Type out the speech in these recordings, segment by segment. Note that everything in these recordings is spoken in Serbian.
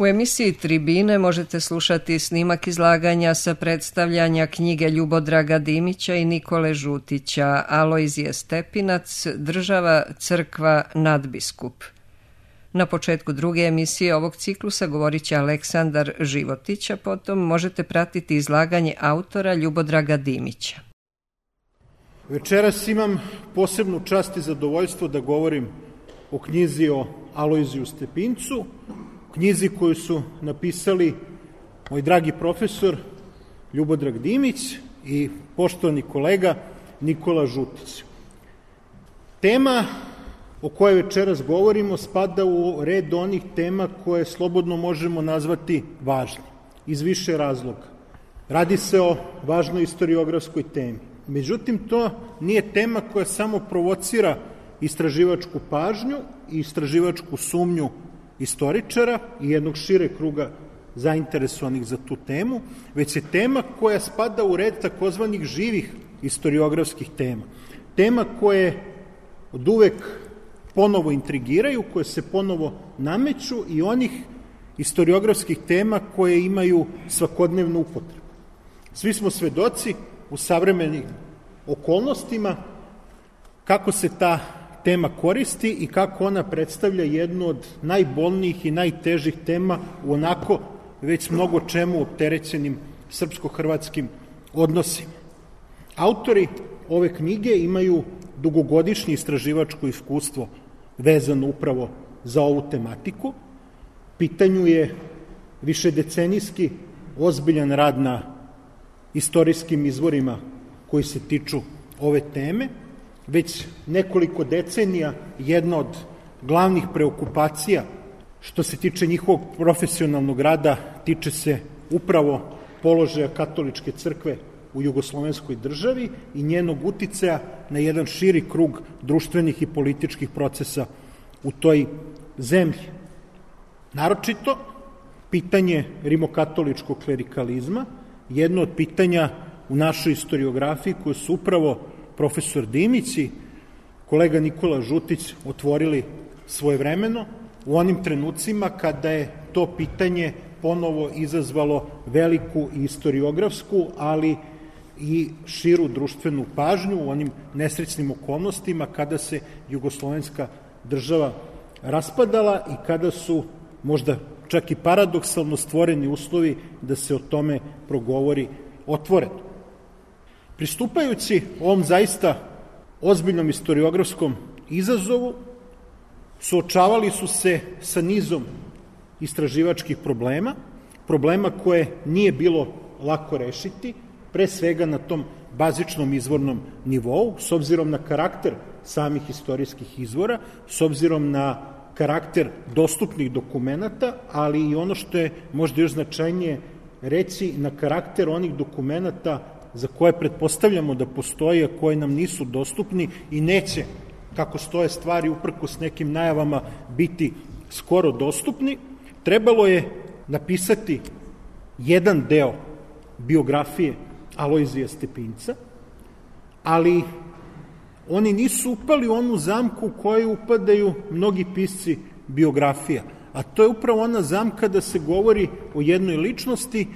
U emisiji Tribine možete slušati snimak izlaganja sa predstavljanja knjige Ljubodraga Dimića i Nikole Žutića Alojzije Stepinac, Država, crkva, nadbiskup. Na početku druge emisije ovog ciklusa govorit će Aleksandar Životić, a potom možete pratiti izlaganje autora Ljubodraga Dimića. Večeras imam posebnu čast i zadovoljstvo da govorim o knjizi o Alojziju Stepincu, knjizi koju su napisali moj dragi profesor Ljubodrag Dimić i poštovani kolega Nikola Žutić. Tema o kojoj večeras govorimo spada u red onih tema koje slobodno možemo nazvati važnim, iz više razloga. Radi se o važnoj istoriografskoj temi. Međutim, to nije tema koja samo provocira istraživačku pažnju i istraživačku sumnju istoričara i jednog šire kruga zainteresovanih za tu temu, već je tema koja spada u red takozvanih živih istoriografskih tema. Tema koje od uvek ponovo intrigiraju, koje se ponovo nameću i onih istoriografskih tema koje imaju svakodnevnu upotrebu. Svi smo svedoci u savremenim okolnostima kako se ta tema koristi i kako ona predstavlja jednu od najbolnijih i najtežih tema u onako već mnogo čemu opterećenim srpsko-hrvatskim odnosima. Autori ove knjige imaju dugogodišnje istraživačko iskustvo vezano upravo za ovu tematiku. U pitanju je višedecenijski ozbiljan rad na istorijskim izvorima koji se tiču ove teme. Već nekoliko decenija jedna od glavnih preokupacija što se tiče njihovog profesionalnog rada tiče se upravo položaja katoličke crkve u jugoslovenskoj državi i njenog uticaja na jedan širi krug društvenih i političkih procesa u toj zemlji. Naročito, pitanje rimokatoličkog klerikalizma, jedno od pitanja u našoj istoriografiji koje su upravo profesor Dimić i kolega Nikola Žutić otvorili svojevremeno u onim trenucima kada je to pitanje ponovo izazvalo veliku istoriografsku, ali i širu društvenu pažnju u onim nesrećnim okolnostima kada se jugoslovenska država raspadala i kada su možda čak i paradoksalno stvoreni uslovi da se o tome progovori otvoreno. Pristupajući ovom zaista ozbiljnom istoriografskom izazovu, suočavali su se sa nizom istraživačkih problema koje nije bilo lako rešiti, pre svega na tom bazičnom izvornom nivou, s obzirom na karakter samih istorijskih izvora, s obzirom na karakter dostupnih dokumenata, ali i ono što je možda još značajnije reći, na karakter onih dokumenata za koje pretpostavljamo da postoje, a koje nam nisu dostupni i neće, kako stoje stvari, uprkos nekim najavama, biti skoro dostupni. Trebalo je napisati jedan deo biografije Alojzija Stepinca, ali oni nisu upali u onu zamku u koju upadaju mnogi pisci biografija, a to je upravo ona zamka da se govori o jednoj ličnosti,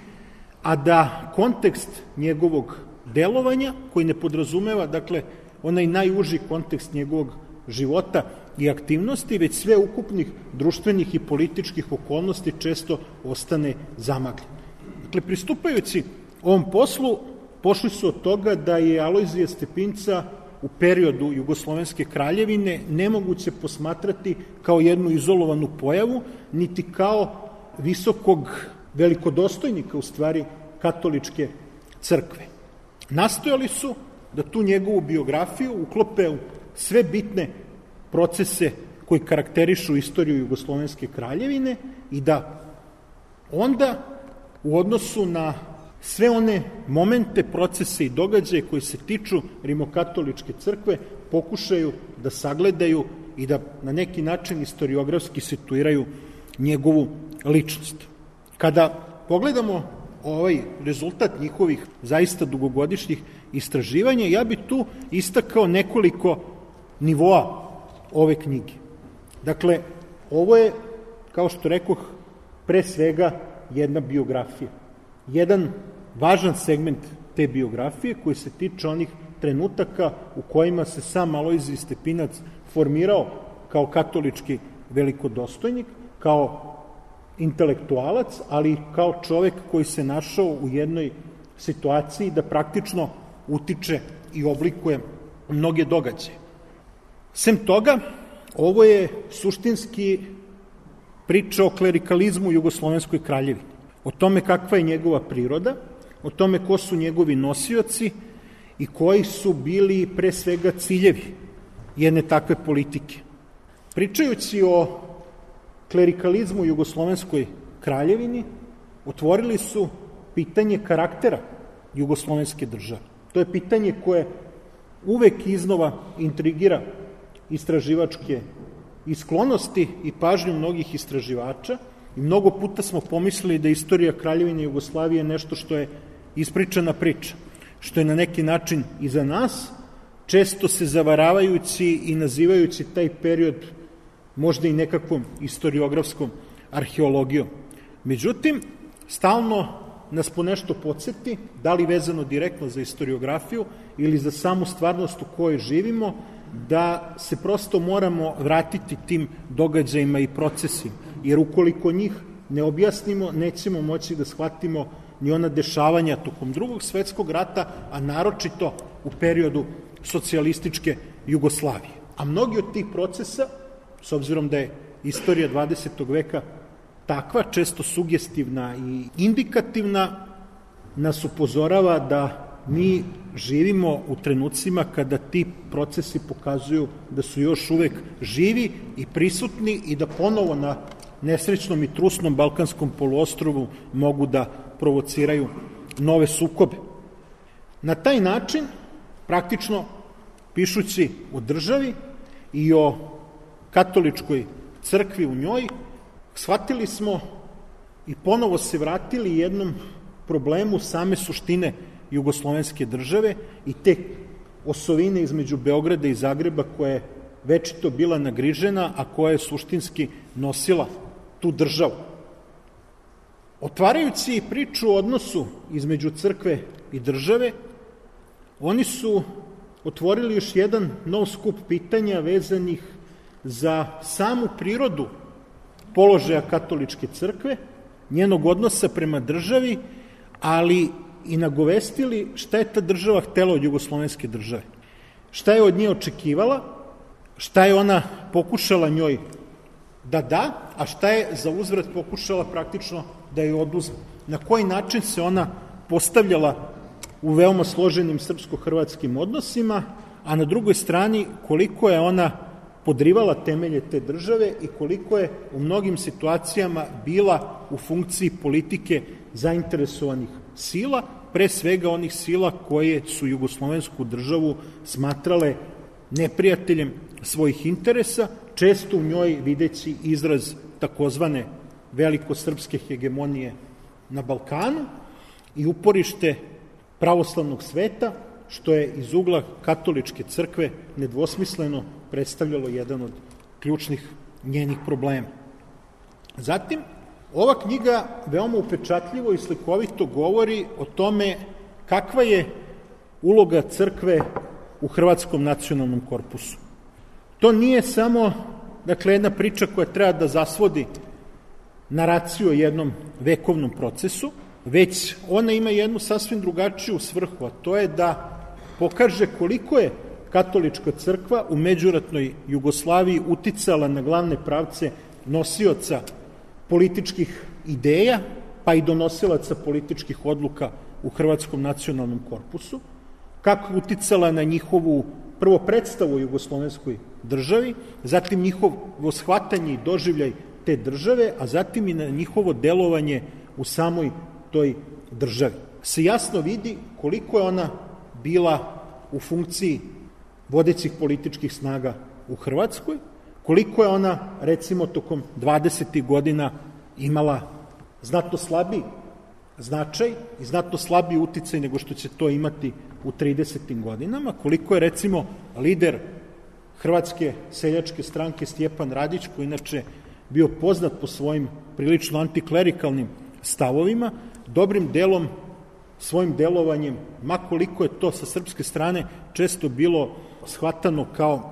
a da kontekst njegovog delovanja, koji ne podrazumeva, dakle, onaj najuži kontekst njegovog života i aktivnosti, već sve ukupnih društvenih i političkih okolnosti često ostane zamagljeno. Dakle, pristupajući ovom poslu, pošli su od toga da je Alojzija Stepinca u periodu Jugoslovenske kraljevine nemoguće posmatrati kao jednu izolovanu pojavu, niti kao visokog velikodostojnika, u stvari, katoličke crkve. Nastojali su da tu njegovu biografiju uklope u sve bitne procese koji karakterišu istoriju Jugoslovenske kraljevine i da onda u odnosu na sve one momente, procese i događaje koji se tiču rimokatoličke crkve pokušaju da sagledaju i da na neki način istoriografski situiraju njegovu ličnost. Kada pogledamo ovaj rezultat njihovih zaista dugogodišnjih istraživanja, ja bih tu istakao nekoliko nivoa ove knjige. Dakle, ovo je, kao što rekoh, pre svega jedna biografija. Jedan važan segment te biografije koji se tiče onih trenutaka u kojima se sam Alojzije Stepinac formirao kao katolički velikodostojnik, kao intelektualac, ali i kao čovek koji se našao u jednoj situaciji da praktično utiče i oblikuje mnoge događaje. Sem toga, ovo je suštinski priča o klerikalizmu u Jugoslovenskoj kraljevini, o tome kakva je njegova priroda, o tome ko su njegovi nosioci i koji su bili pre svega ciljevi jedne takve politike. Pričajući o klerikalizmu u Jugoslovenskoj kraljevini, otvorili su pitanje karaktera Jugoslovenske države. To je pitanje koje uvek iznova intrigira istraživačke i sklonosti i pažnju mnogih istraživača i mnogo puta smo pomislili da istorija Kraljevine Jugoslavije je nešto što je ispričana priča, što je na neki način iza nas, često se zavaravajući i nazivajući taj period možda i nekakvom istoriografskom arheologijom. Međutim, stalno nas po nešto podsjeti, da li vezano direktno za istoriografiju ili za samu stvarnost u kojoj živimo, da se prosto moramo vratiti tim događajima i procesima, jer ukoliko njih ne objasnimo, nećemo moći da shvatimo ni ona dešavanja tokom Drugog svetskog rata, a naročito u periodu socijalističke Jugoslavije. A mnogi od tih procesa, s obzirom da je istorija 20. veka takva, često sugestivna i indikativna, nas upozorava da mi živimo u trenucima kada ti procesi pokazuju da su još uvek živi i prisutni i da ponovo na nesrećnom i trusnom Balkanskom poluostrvu mogu da provociraju nove sukobe. Na taj način, praktično pišući o državi i o katoličkoj crkvi u njoj, shvatili smo i ponovo se vratili jednom problemu same suštine jugoslovenske države i te osovine između Beograda i Zagreba koja je večito bila nagrižena, a koja je suštinski nosila tu državu. Otvarajući priču o odnosu između crkve i države, oni su otvorili još jedan nov skup pitanja vezanih za samu prirodu položaja katoličke crkve, njenog odnosa prema državi, ali i nagovestili šta je ta država htela od jugoslovenske države. Šta je od nje očekivala, šta je ona pokušala njoj da, a šta je za uzvrat pokušala praktično da joj oduzme. Na koji način se ona postavljala u veoma složenim srpsko-hrvatskim odnosima, a na drugoj strani koliko je ona podrivala temelje te države i koliko je u mnogim situacijama bila u funkciji politike zainteresovanih sila, pre svega onih sila koje su jugoslovensku državu smatrale neprijateljem svojih interesa, često u njoj videći izraz takozvane velikosrpske hegemonije na Balkanu i uporište pravoslavnog sveta, što je iz ugla katoličke crkve nedvosmisleno predstavljalo jedan od ključnih njenih problema. Zatim, ova knjiga veoma upečatljivo i slikovito govori o tome kakva je uloga crkve u Hrvatskom nacionalnom korpusu. To nije samo, jedna priča koja treba da zasvodi naraciju o jednom vekovnom procesu, već ona ima jednu sasvim drugačiju svrhu, a to je da pokaže koliko je katolička crkva u međuratnoj Jugoslaviji uticala na glavne pravce nosioca političkih ideja, pa i donosilaca političkih odluka u Hrvatskom nacionalnom korpusu, kako je uticala na njihovu prvo predstavu o jugoslovenskoj državi, zatim njihovo shvatanje i doživljaj te države, a zatim i na njihovo delovanje u samoj toj državi. Se jasno vidi koliko je ona bila u funkciji vodećih političkih snaga u Hrvatskoj, koliko je ona, recimo, tokom 20. godina imala znatno slabiji značaj i znatno slabiji uticaj nego što će to imati u 30. godinama, koliko je, recimo, lider Hrvatske seljačke stranke Stjepan Radić, koji inače bio poznat po svojim prilično antiklerikalnim stavovima, dobrim delom svojim delovanjem, makoliko je to sa srpske strane često bilo shvatano kao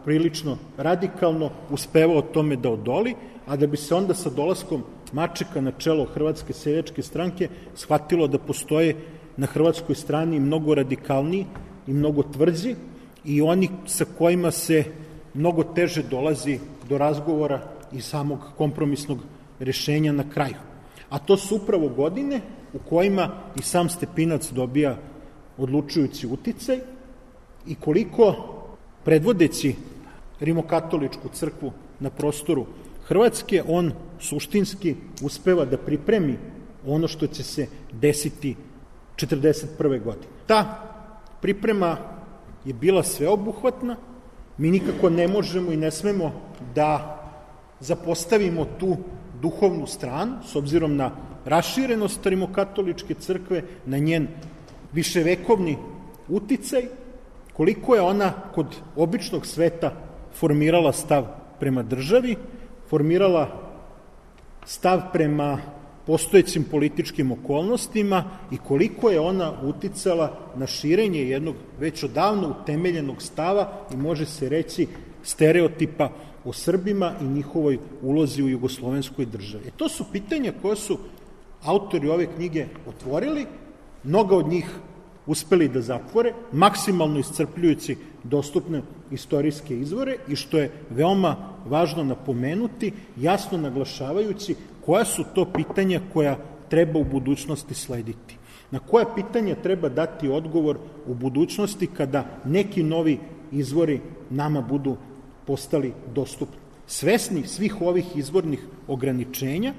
prilično radikalno, uspevao tome da odoli, a da bi se onda sa dolaskom Mačeka na čelo Hrvatske seljačke stranke shvatilo da postoje na hrvatskoj strani mnogo radikalniji i mnogo tvrđi i oni sa kojima se mnogo teže dolazi do razgovora i samog kompromisnog rešenja na kraju. A to su upravo godine u kojima i sam Stepinac dobija odlučujući uticaj i koliko predvodeći rimokatoličku crkvu na prostoru Hrvatske, on suštinski uspeva da pripremi ono što će se desiti 1941. godine. Ta priprema je bila sveobuhvatna, mi nikako ne možemo i ne smemo da zapostavimo tu duhovnu stranu, s obzirom na raširenost rimokatoličke crkve, na njen viševekovni uticaj, koliko je ona kod običnog sveta formirala stav prema državi, formirala stav prema postojećim političkim okolnostima i koliko je ona uticala na širenje jednog već odavno utemeljenog stava i može se reći stereotipa o Srbima i njihovoj ulozi u jugoslovenskoj državi. To su pitanja koje su autori ove knjige otvorili, mnoga od njih uspeli da zatvore, maksimalno iscrpljujući dostupne istorijske izvore i što je veoma važno napomenuti, jasno naglašavajući koja su to pitanja koja treba u budućnosti slediti. Na koja pitanja treba dati odgovor u budućnosti kada neki novi izvori nama budu postali dostupni. Svesni svih ovih izvornih ograničenja,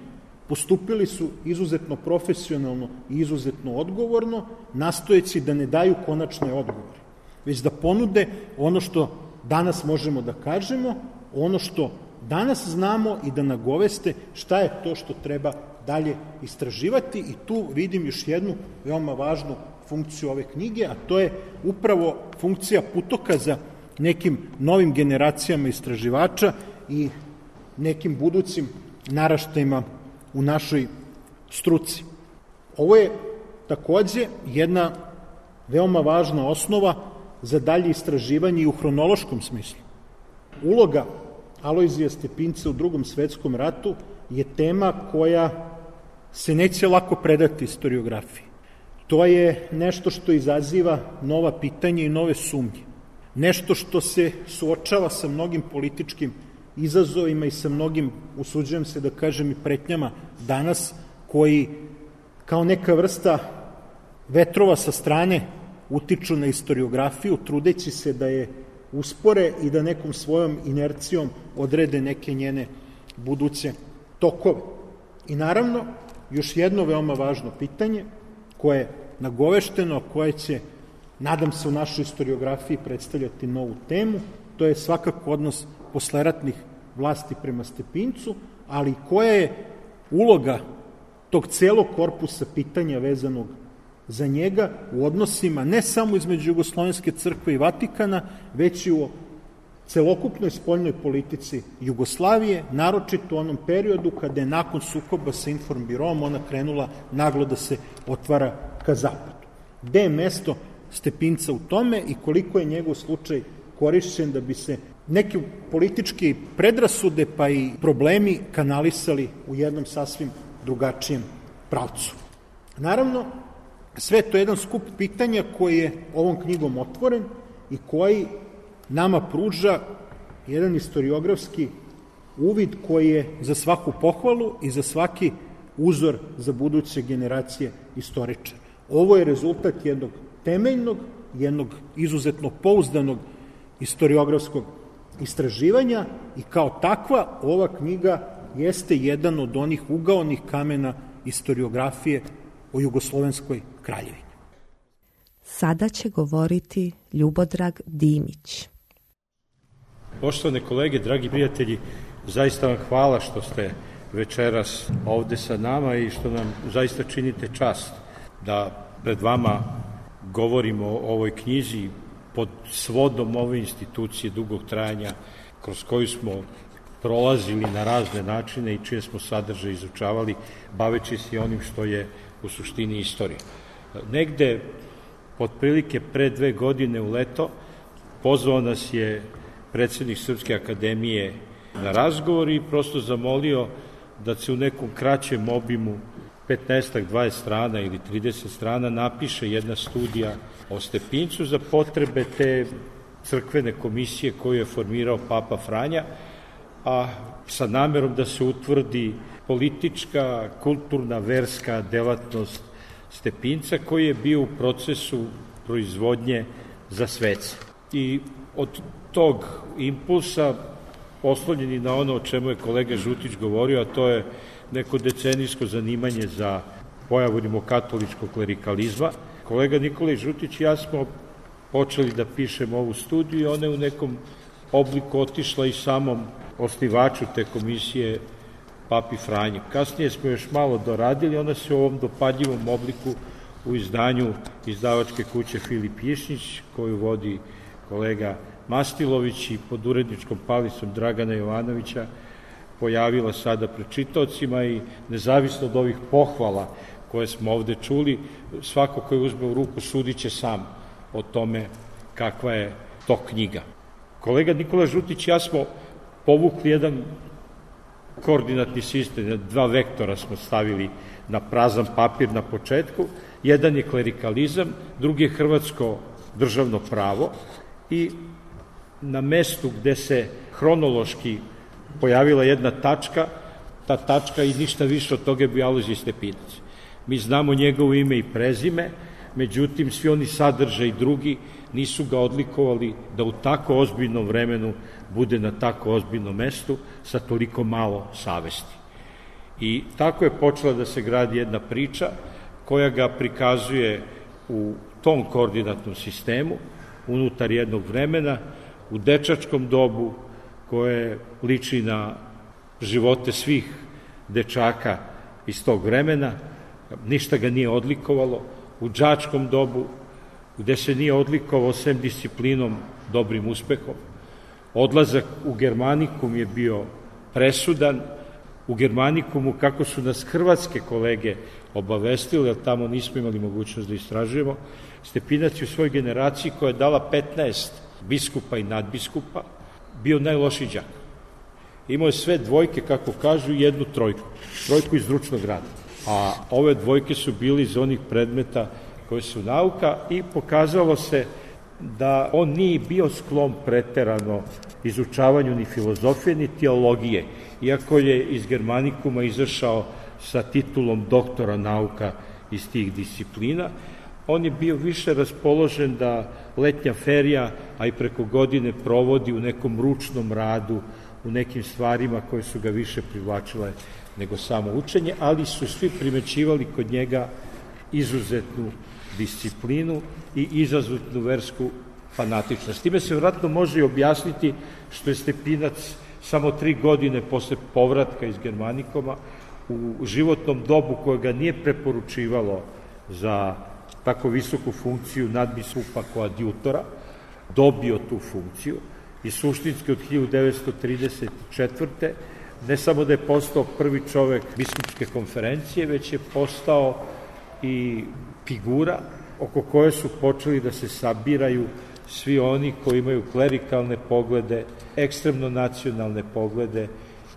postupili su izuzetno profesionalno i izuzetno odgovorno, nastojeći da ne daju konačne odgovore, već da ponude ono što danas možemo da kažemo, ono što danas znamo i da nagoveste šta je to što treba dalje istraživati i tu vidim još jednu veoma važnu funkciju ove knjige, a to je upravo funkcija putokaza nekim novim generacijama istraživača i nekim budućim naraštajima u našoj struci. Ovo je takođe jedna veoma važna osnova za dalje istraživanje i u hronološkom smislu. Uloga Alojzija Stepinca u Drugom svetskom ratu je tema koja se neće lako predati istoriografiji. To je nešto što izaziva nova pitanja i nove sumnje. Nešto što se suočava sa mnogim političkim izazovima i sa mnogim, usuđujem se da kažem, i pretnjama danas, koji kao neka vrsta vetrova sa strane utiču na istoriografiju, trudeći se da je uspore i da nekom svojom inercijom odrede neke njene buduće tokove. I naravno, još jedno veoma važno pitanje koje je nagovešteno, koje će, nadam se, u našoj istoriografiji predstavljati novu temu, to je svakako odnos posleratnih vlasti prema Stepincu, ali koja je uloga tog celog korpusa pitanja vezanog za njega u odnosima ne samo između Jugoslovenske crkve i Vatikana, već i u celokupnoj spoljnoj politici Jugoslavije, naročito u onom periodu kada je nakon sukoba sa Informbirom ona krenula naglo da se otvara ka zapadu. Gde je mesto Stepinca u tome i koliko je njegov slučaj korišćen da bi se neki politički predrasude pa i problemi kanalisali u jednom sasvim drugačijem pravcu. Naravno, sve to je jedan skup pitanja koji je ovom knjigom otvoren i koji nama pruža jedan istoriografski uvid koji je za svaku pohvalu i za svaki uzor za buduće generacije istoričara. Ovo je rezultat jednog temeljnog, jednog izuzetno pouzdanog istoriografskog istraživanja i kao takva ova knjiga jeste jedan od onih ugaonih kamena istoriografije o Jugoslovenskoj kraljevini. Sada će govoriti Ljubodrag Dimić. Poštovane kolege, dragi prijatelji, zaista vam hvala što ste večeras ovde sa nama i što nam zaista činite čast da pred vama govorimo o ovoj knjizi pod svodom ove institucije dugog trajanja kroz koju smo prolazili na razne načine i čije smo sadržaje izučavali, baveći se onim što je u suštini istorija. Negde, otprilike pre 2 godine u leto, pozvao nas je predsednik Srpske akademije na razgovor i prosto zamolio da se u nekom kraćem obimu 15-20 strana ili 30 strana napiše jedna studija o Stepincu za potrebe te crkvene komisije koju je formirao Papa Franja, a sa namerom da se utvrdi politička, kulturna, verska delatnost Stepinca koji je bio u procesu proizvodnje za svece. I od tog impulsa, oslonjeni na ono o čemu je kolega Žutić govorio, a to je neko decenijsko zanimanje za pojavu rimokatoličkog klerikalizma, kolega Nikolaj Žutić i ja smo počeli da pišemo ovu studiju i ona je u nekom obliku otišla i samom osnivaču te komisije, Papi Franji. Kasnije smo još malo doradili, ona se u ovom dopadljivom obliku u izdanju izdavačke kuće Filip Jišnić, koju vodi kolega Mastilović i pod uredničkom palicom Dragana Jovanovića pojavila sada pred čitaocima i nezavisno od ovih pohvala koje smo ovde čuli, svako ko je uzme u ruku sudit će sam o tome kakva je to knjiga. Kolega Nikola Žutić i ja smo povukli jedan koordinatni sistem, 2 vektora smo stavili na prazan papir na početku. Jedan je klerikalizam, drugi je hrvatsko državno pravo i na mestu gde se hronološki pojavila jedna tačka, ta tačka i ništa više od toga je bio Alojzije Stepinac. Mi znamo njegovo ime i prezime, međutim svi oni sadržaji drugi nisu ga odlikovali da u tako ozbiljnom vremenu bude na tako ozbiljnom mestu sa toliko malo savesti. I tako je počela da se gradi jedna priča koja ga prikazuje u tom koordinatnom sistemu, unutar jednog vremena, u dečačkom dobu koje liči na živote svih dečaka iz tog vremena, ništa ga nije odlikovalo, u đačkom dobu gde se nije odlikovao sem disciplinom dobrim uspehom. Odlazak u Germanikum je bio presudan, u Germanikumu, kako su nas hrvatske kolege obavestili, jer tamo nismo imali mogućnost da istražujemo, Stepinac je u svojoj generaciji koja je dala 15 biskupa i nadbiskupa, bio najlošiji đak. Imao je sve dvojke, kako kažu, i 1 trojku iz ručnog rada. A ove dvojke su bili iz onih predmeta koje su nauka i pokazalo se da on nije bio sklon preterano izučavanju ni filozofije, ni teologije, iako je iz Germanikuma izašao sa titulom doktora nauka iz tih disciplina. On je bio više raspoložen da letnja ferija, a i preko godine provodi u nekom ručnom radu, u nekim stvarima koje su ga više privlačile nego samo učenje, ali su svi primećivali kod njega izuzetnu disciplinu i izuzetnu versku fanatičnost. Time se vratno može i objasniti što je Stepinac samo 3 godine posle povratka iz Germanikoma u životnom dobu koje ga nije preporučivalo za tako visoku funkciju nadbiskupa koadjutora, dobio tu funkciju i suštinski od 1934. ne samo da je postao prvi čovek biskupske konferencije, već je postao i figura oko koje su počeli da se sabiraju svi oni koji imaju klerikalne poglede, ekstremno nacionalne poglede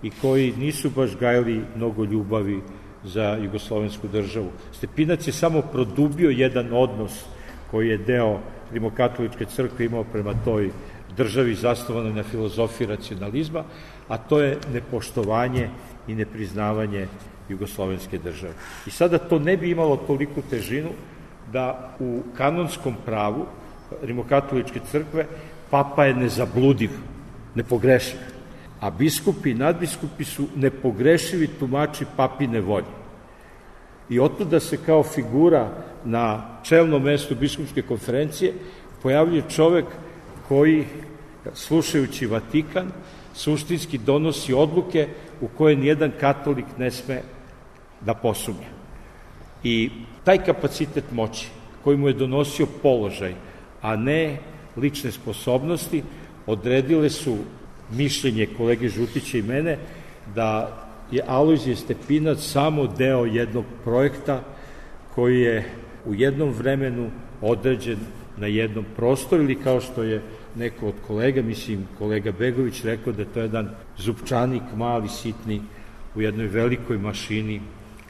i koji nisu baš gajili mnogo ljubavi za jugoslovensku državu. Stepinac je samo produbio jedan odnos koji je deo rimokatoličke crkve imao prema toj državi zasnovanoj na filozofiji racionalizma, a to je nepoštovanje i nepriznavanje jugoslovenske države. I sada to ne bi imalo toliku težinu da u kanonskom pravu rimokatoličke crkve papa je nezabludiv, nepogrešiv, a biskupi i nadbiskupi su nepogrešivi tumači papine volje. I otuda se kao figura na čelnom mestu biskupske konferencije pojavljuje čovek koji, slušajući Vatikan, suštinski donosi odluke u koje nijedan katolik ne sme da posumnja. I taj kapacitet moći koji mu je donosio položaj, a ne lične sposobnosti, odredile su mišljenje kolege Žutića i mene da je Alojzije Stepinac samo deo jednog projekta koji je u jednom vremenu određen na jednom prostoru, ili kao što je neko od kolega, mislim kolega Begović, rekao da je to jedan zupčanik, mali, sitni, u jednoj velikoj mašini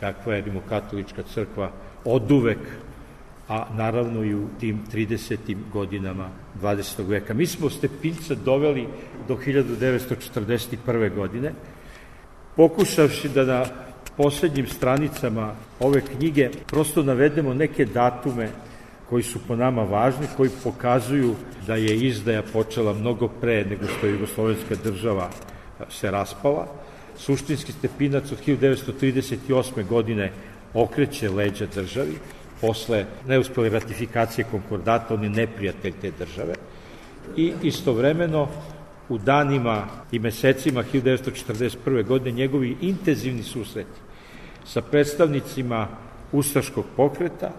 kakva je Rimokatolička crkva oduvek, a naravno i u tim 30. godinama 20. veka. Mi smo Stepinca doveli do 1941. godine, pokušavši da na poslednjim stranicama ove knjige prosto navedemo neke datume koji su po nama važni, koji pokazuju da je izdaja počela mnogo pre nego što je jugoslovenska država se raspala. Suštinski Stepinac od 1938. godine okreće leđa državi, posle neuspele ratifikacije konkordata, on je neprijatelj te države, i istovremeno u danima i mesecima 1941. godine njegovi intenzivni susreti sa predstavnicima ustaškog pokreta,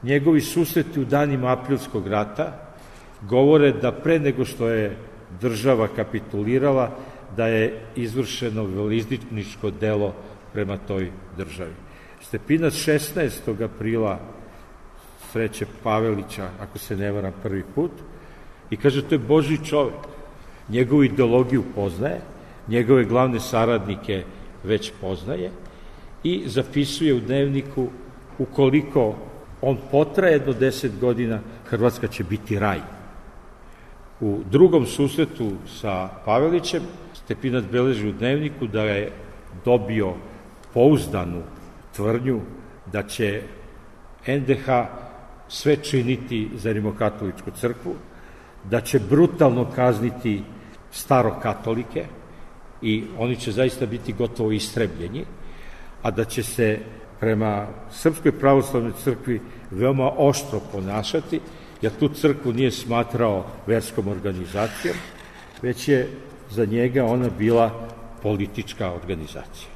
njegovi susreti u danima Aprilskog rata govore da pre nego što je država kapitulirala, da je izvršeno velizničko delo prema toj državi. Stepinac 16. aprila sreće Pavelića, ako se ne varam, prvi put, i kaže to je Božji čovek. Njegovu ideologiju poznaje, njegove glavne saradnike već poznaje i zapisuje u dnevniku ukoliko on potraje do 10 godina, Hrvatska će biti raj. U drugom susretu sa Pavelićem Stepinac beleži u dnevniku da je dobio pouzdanu tvrdnju da će NDH sve činiti za Rimokatoličku crkvu, da će brutalno kazniti starokatolike i oni će zaista biti gotovo istrebljeni, a da će se prema Srpskoj pravoslavnoj crkvi veoma oštro ponašati, jer tu crkvu nije smatrao verskom organizacijom, već je za njega ona bila politička organizacija.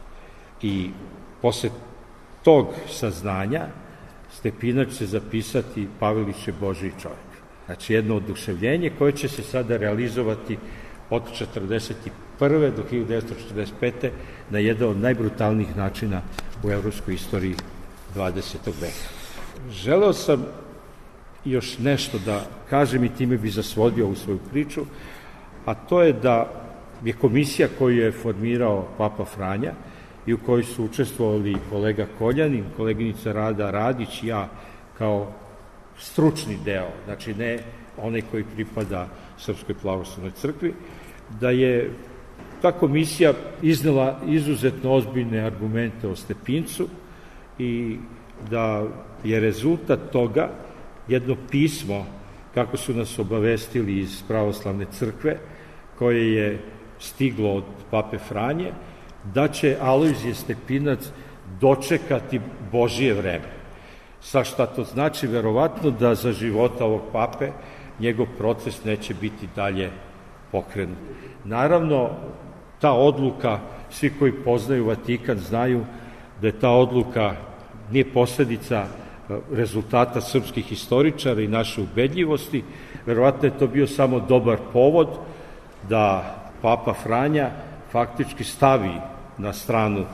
I posle tog saznanja Stepinac će zapisati Pavelić je Božji čovjek. Znači jedno oduševljenje koje će se sada realizovati od 1941. do 1945. na jedan od najbrutalnijih načina u evropskoj istoriji 20. veka. Želeo sam još nešto da kažem i time bi zasvodio ovu svoju priču, a to je da je komisija koju je formirao Papa Franja i u kojoj su učestvovali kolega Koljanin, koleginica Rada Radić i ja kao stručni deo, znači ne onaj koji pripada Srpskoj pravoslavnoj crkvi, da je ta komisija iznela izuzetno ozbiljne argumente o Stepincu i da je rezultat toga jedno pismo, kako su nas obavestili iz pravoslavne crkve, koje je stiglo od Pape Franje, da će Alojzije Stepinac dočekati Božije vreme. Sa šta to znači? Verovatno da za života ovog pape njegov proces neće biti dalje pokrenut. Naravno, ta odluka, svi koji poznaju Vatikan znaju da je ta odluka nije posledica rezultata srpskih historičara i naše ubedljivosti. Verovatno je to bio samo dobar povod da Papa Franja faktički stavi na stranu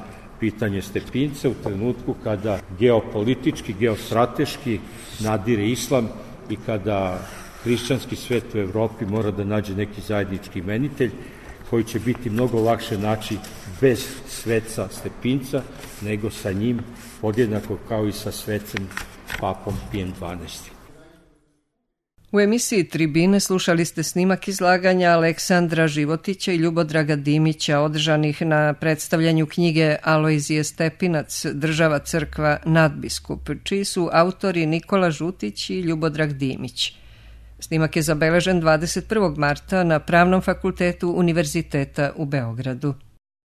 pitanje Stepinca u trenutku kada geopolitički, geostrateški nadire islam i kada hrišćanski svet u Evropi mora da nađe neki zajednički imenitelj koji će biti mnogo lakše naći bez sveca Stepinca nego sa njim, podjednako kao i sa svecem papom Pijem XII. U emisiji Tribine slušali ste snimak izlaganja Aleksandra Životića i Ljubodraga Dimića održanih na predstavljanju knjige Alojzije Stepinac, Država, crkva, nadbiskup, čiji su autori Nikola Žutić i Ljubodrag Dimić. Snimak je zabeležen 21. marta na Pravnom fakultetu Univerziteta u Beogradu.